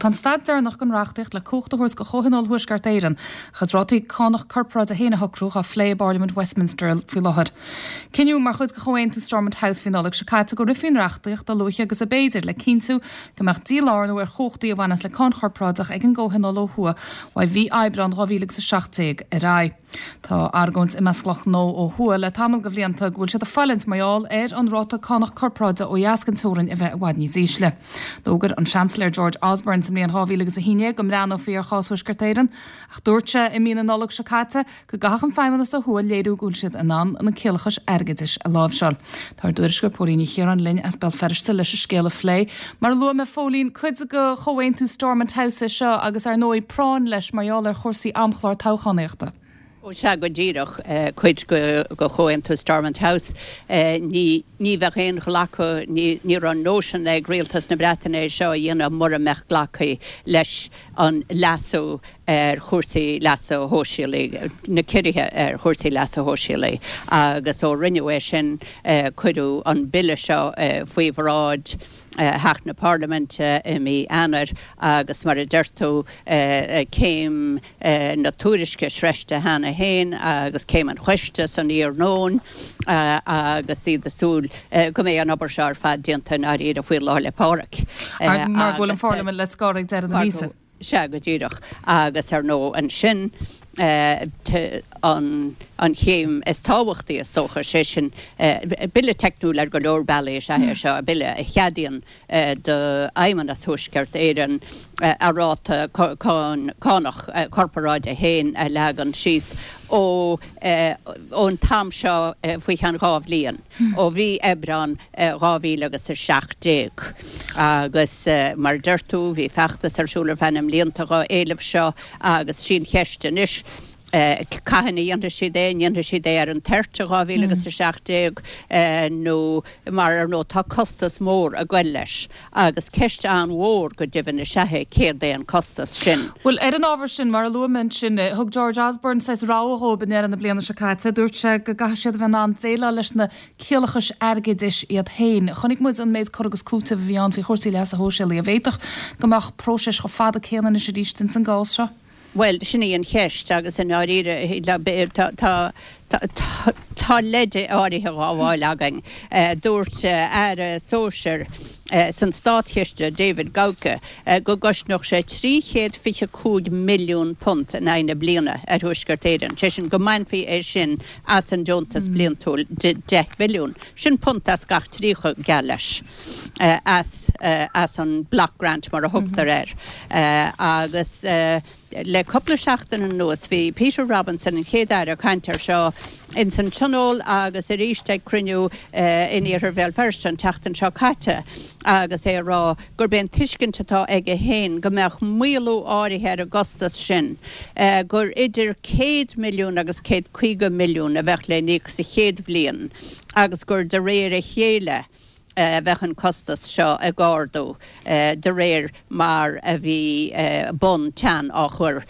Tá an staid deireanach den reachtaíocht le cumhacht a thabhairt do Chomhthionól Thuaisceart Éireann a chuid rátaí cánach corparáide féin a shocrú dhá phlé i bParlaimint Westminster faoi láthair. Cinneadh mar chuid de Chomhaontú Stormont House mhí Nollag seo caite go rithfí an reachtaíocht a luaithe agus ab fhéidir le cinntiú go mbeadh dílárnú ar chumhachtaí a bhaineas le cáin chorparáideach ag an gComhthionól ó thuaidh uaidh mhí Aibreán 2017 ar aghaidh. Tá argóint i measc lucht gnó ó thuaidh le tamall de bhlianta go bhfuil siad ag fulaingt mar gheall ar an ráta cánach corparáide ó dheas den teorainn a bheith i bhfad níos ísle. D'fhógair an Seansailéir George Osborne sa mbliain 2011 go mbreathnófaí ar chás Thuaisceart Éireann ach dúirt sé i mí na Nollag seo caite go gcaithfeadh an Feidhmeannas ó thuaidh léiriú go bhfuil siad in ann na ciallachais airgeadais a láimhseáil. Tá ár dtuairisceoir Póilín Ní Chiaráin linn as Béal Feirste leis an scéal a phlé. Mar a luaigh mé, Phóilín, cuid de Chomhaontú Stormont House é seo agus ar ndóigh práinn leis mar gheall ar chúrsaí amchlár toghchánaíochta. Ó sea, go díreach, cuid de Chomhaontú Stormont House. Ní bheadh aon ghlacadh, ní raibh nóisean ag Rialtas na Breataine é seo a dhéanamh mura mbeadh glactha leis an leasú ar chúrsaí leasa shóisialaigh, na ciorruithe ar chúrsaí leasa shóisialaigh agus ó rinneadh é sin cuireadh an bille seo faoi bhráid Theach na Parlaiminte i mí Eanáir agus mar a deir tú céim na tuairisce sroichte cheana féin agus céim an choiste san iarnóin agus iad ag súil go mbeidh an obair seo ar fad déanta i ndáiríre faoi Lá 'le Pádraig. Mar go bhfuil an Pharlaimint le scor ag deireadh na míosa. Sea, go díreach. Agus ar ndóigh ansin an chéim is tábhachtaí is dócha, sé sin, bille teicniúil ar go leor bealaí is ea é seo, bille a cheadaíonn d'Fheidhmeannas Thuaisceart Éireann a ráta cánach corparáide féin a leagan síos ó ón t-am seo faoi cheann 2 bhliain. ó mhí Aibreán 2017. Agus mar a deir tú, bhí feachtas ar siúl ar feadh na mblianta dhá éileamh seo agus sí an cheist anois, cathain a dhéanfaidh siad é, an ndéanfaidh siad é ar an toirt i 2017 nó mar ar ndóigh tá costas mór ag goil leis. Agus ceist an-mhór go deimhin is ea é céard é an costas sin. Bhuel, ar an ábhar sin, mar a luaigh mé ansin, thug George Osborne saghas rabhadh dhóibh i ndeireadh na bliana seo caite. Dúirt sé go gcaithfidh siad a bheith in ann déileáil leis na ciallachais airgeadais iad féin. Chonaic muid an méid cur agus cúiteamh a bhí ann faoi chúrsaí leasa shóisialaigh. An bhféadfadh go mbeadh próiseas chomh fada céanna anois arís ins an gcás seo? Bhuel, sin í an cheist agus i ndáiríre tá tá leid áirithe dhá fháil againn. Dúirt Aire Sóisir san Státchiste, David Gauke, go gcosnódh sé £325 milliún in aghaidh na bliana ar Thuaisceart Éireann, sé sin go mbainfí é sin as an deontas bliantúil de 10 bhilliún. Sin punt as gach 30, geall leis. as as an block grant mar a thugtar air. Agus le cúpla seachtain anuas bhí Peter Robinson, an Chéad-Aire, ag caint air seo ins an Tionól agus arís ag cruinniú in Iarthar Bhéal Feirste an tseachtain seo caite agus é ag rá gurb é an tuiscint atá aige féin go mbeadh maolú áirithe ar an gcostas sin, gur idir 100 milliún agus 150 milliún a bheadh le n-íoc sa chéad bhliain agus gur de réir a chéile a bheadh an costas seo ag ardú de réir mar a bhí bonn teann á chur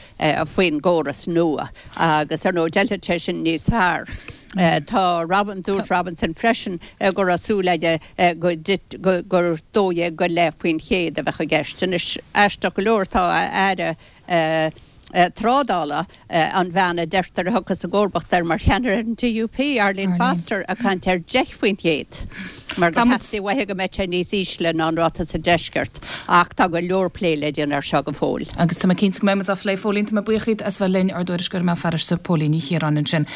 faoin gcóras nua agus ar ndóigh d'fheilfeadh sé sin níos fearr. Tá Robin, dúirt Robinson freisin go raibh súil aige go gur 12.5% a bheadh i gceist. Anois, aisteach go leor, tá a aire Trádála, an bhean a deirtear a thiocfas i gcomharbacht air mar cheannaire ar an DUP, Arlene Foster, ag caint ar 10% mar gur theastaigh uaithi go mbeadh sé níos ísle ná an ráta sa deisceart. Ach tá go leor plé le déanamh air seo go fóill. Agus tá mé cinnte go mbeidh muid á phlé. Phóilín, tá mé buíoch díot as bheith linn, ár dtuairisceoir i mBéal Feirste, Póilín Ní Chiaráin ansin.